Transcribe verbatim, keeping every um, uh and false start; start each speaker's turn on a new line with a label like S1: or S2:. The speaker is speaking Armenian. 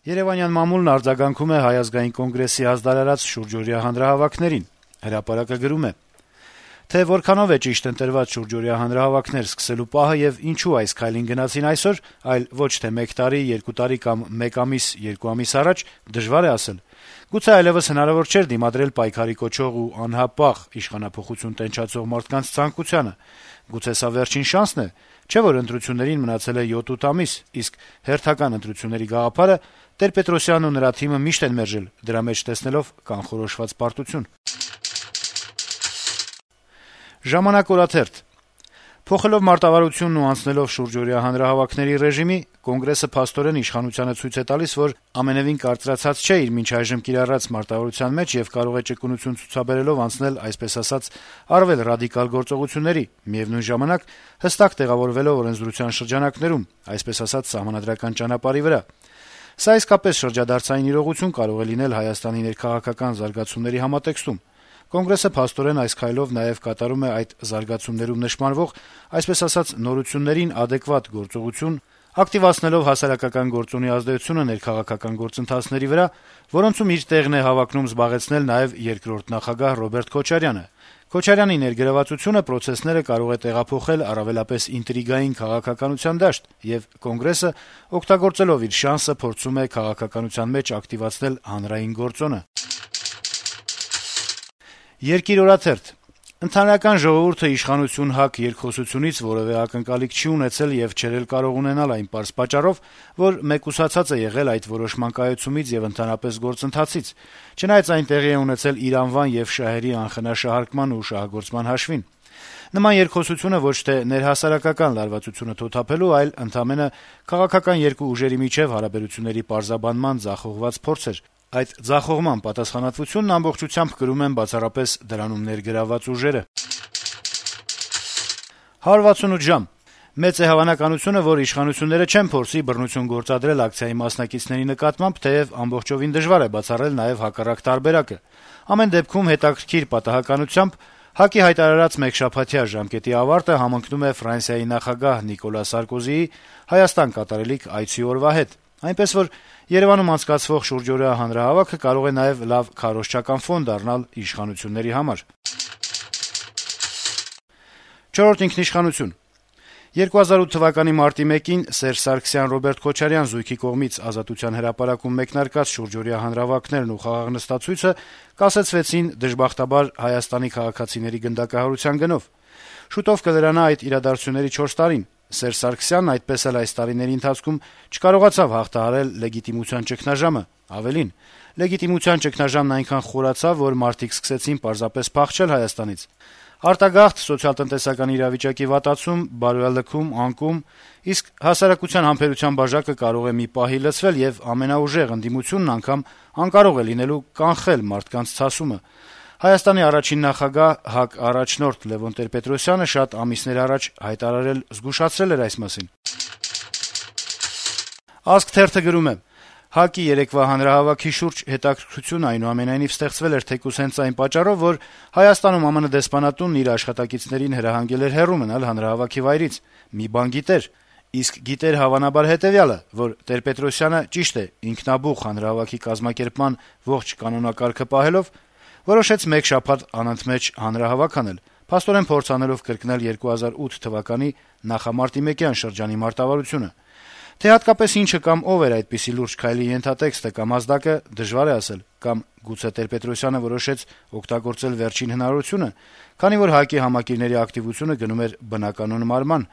S1: Երեւանյան մամուլն արձագանքում է Հայ ազգային կոնգրեսի ազդարարած շուրջօրյա հանրահավաքներին։ Հրապարակը գրում է. Թե որքանով է ճիշտ ընտրված շուրջօրյա հանրահավաքներ սկսելու պահը եւ ինչու այս քայլին գնացին այսօր, այլ ոչ թե մեկ տարի, երկու տարի կամ մեկ ամիս, երկու ամիս առաջ, դժվար է ասել։ Գուցե այլեւս հնարավոր չէր դիմադրել պայքարի կոչող ու անհապաղ իշխանափոխություն տենչացող մարդկանց ցանկությանը։ Գուցե սա վերջին շանսն է, չէ՞ որ ընտրություններին մնացել է յոթ-ութ ամիս, իսկ հերթական ընտրությունների գաղափարը Տեր-Պետրոսյանն ու նրա թիմը միշտ են մերժել, դրա մեջ տեսնելով կանխորոշված պարտություն։ Ժամանակ օրաթերթ. Փոխելով մարտավարությունն ու անցնելով շուրջօրյա հանրահավաքների ռեժիմի, Կոնգրեսը փաստորեն իշխանությանը ցույց է տալիս, որ ամենեւին կարծրացած չէ իր մինչ այժմ կիրառած մարտավարության մեջ եւ կարող է ճկունություն ցուցաբերելով անցնել, այսպես ասած, առավել ռադիկալ գործողությունների, միեւնույն ժամանակ հստակ տեղավորվելով օրենսդրության շրջանակներում, այսպես ասած, սահմանադրական ճանապարհի վրա։ Սա իսկապես շրջադարձային իրողություն կարող է լինել Հայաստանի ներքաղաքական զարգացումների համատեքստում։ Կոնգրեսը փաստորեն այս քայլով նաեւ կատարում է այդ զարգացումներում նշмарվող, այսպես ասած, նորություններին ադեկվատ գործողություն, ակտիվացնելով հասարակական գործունի ազդեցությունը ներքաղաքական գործընթացների վրա, որոնցում իր տեղն է հավակնում զբաղեցնել նաեւ երկրորդ նախագահ Ռոբերտ Քոչարյանը։ Քոչարյանի ներգրավվածությունը պրոցեսները կարող է տեղափոխել առավելապես ինտրիգային քաղաքականության դաշտ, եւ Կոնգրեսը, օգտագործելով իր շանսը, փորձում է քաղաքականության մեջ ակտիվացնել հանրային գործոնը։ Երկիր օրաթերթ. Ընդհանրական ժողովուրդը իշխանություն ՀԱԿ երկխոսությունից որեւէ ակնկալիք չի ունեցել եւ չէր կարող ունենալ այն պարզ պատճառով, որ մեկուսացած է եղել այդ որոշման կայացումից եւ ընդհանրապես գործընթացից, չնայած այն տեղի է ունեցել իր անվան եւ շահերի անխնաշահարկման ու շահագործման հաշվին։ Նման երկխոսությունը ոչ թե ներհասարակական լարվածությունը թոթափելու, այլ ընդամենը քաղաքական երկու ուժերի միջեւ հարաբերությունների պարզաբանման ձախողված փորձ էր։ Այդ ձախողման պատասխանատվությունն ամբողջությամբ կրում են բացառապես դրանում ներգրավված ուժերը։ հարյուր վաթսունութ ժամ. Մեծ է հավանականությունը, որ իշխանությունները չեն փորձի բռնություն գործադրել ակցիայի մասնակիցների նկատմամբ, թեև ամբողջովին դժվար է բացառել նաեւ հակառակ տարբերակը։ Ամեն դեպքում հետաքրքիր պատահականությամբ ՀԱԿ-ի հայտարարած մեկշաբաթյա ժամկետի ավարտը համընկնում է Ֆրանսիայի նախագահ Նիկոլա Սարկոզիի Հայաստան կատարելիք այցի օրվա հետ, այնպես որ Երեւանում անցկացվող շուրջօրյա հանրահավաքը կարող է նաեւ լավ քարոզչական ֆոն դառնալ իշխանությունների համար։ Չորրորդ ինքնիշխանություն. երկու հազար ութ թվականի մարտի մեկին Սերժ Սարգսյան-Ռոբերտ Քոչարյան զույգի կողմից Ազատության հրապարակում մեկնարկած շուրջօրյա հանրահավաքներն ու խաղաղնստացույցը կասեցվեցին դժբախտաբար Հայաստանի քաղաքացիների գնդակահարության գնով։ Շուտով կլրանա այդ իրադարձությունների չորս տարին։ Սերժ Սարգսյանն այդպես էլ այս տարիների ընթացքում չկարողացավ հաղթահարել լեգիտիմության ճգնաժամը, ավելին, լեգիտիմության ճգնաժամն այնքան խորացավ, որ մարդիկ սկսեցին պարզապես փախչել Հայաստանից։ Արտագաղթ, սոցիալ-տնտեսական իրավիճակի վատացում, բարոյալքում, անկում, իսկ հասարակության համբերության բաժակը կարող է մի պահի լցվել եւ ամենաուժեղ ընդդիմությունն անգամ անկարող է լինելու կանխել մարդկանց ցասումը։ Հայաստանի առաջին նախագահ ՀԱԿ առաջնորդ Լեւոն Տեր-Պետրոսյանը շատ ամիսներ առաջ հայտարարել զգուշացրել էր այս մասին։ Ազգ թերթը գրում է. ՀԱԿ-ի երեկվա հանրահավաքի շուրջ հետաքրքրություն այնուամենայնիվ ստեղծվել էր թեկուզ հենց այն պատճառով, որ Հայաստանում ԱՄՆ դեսպանատունն իր աշխատակիցներին հրահանգել էր հեռու մնալ հանրահավաքի վայրից։ Մի բան գիտեր, իսկ գիտեր հավանաբար հետեւյալը, որ Տեր-Պետրոսյանը ճիշտ է, ինքնաբուխ հանրահավաքի կազմակերպման ողջ կանոնակարգը պահելով որոշեց մեկ շաբաթ անընդմեջ հանրահավաք անել, փաստորեն փորձ անելով կրկնել երկու հազար ութ թվականի նախամարտի-մեկյան շրջանի մարտավարությունը։ Թե հատկապես ինչը կամ ով էր այդպիսի լուրջ քայլի ենթատեքստը կամ ազդակը, դժվար է ասել, կամ գուցե Տեր-Պետրոսյանը որոշեց օգտագործել վերջին հնարավորությունը, քանի որ ՀԱԿ-ի համակիրների ակտիվությունը գնում էր բնականոն մարման,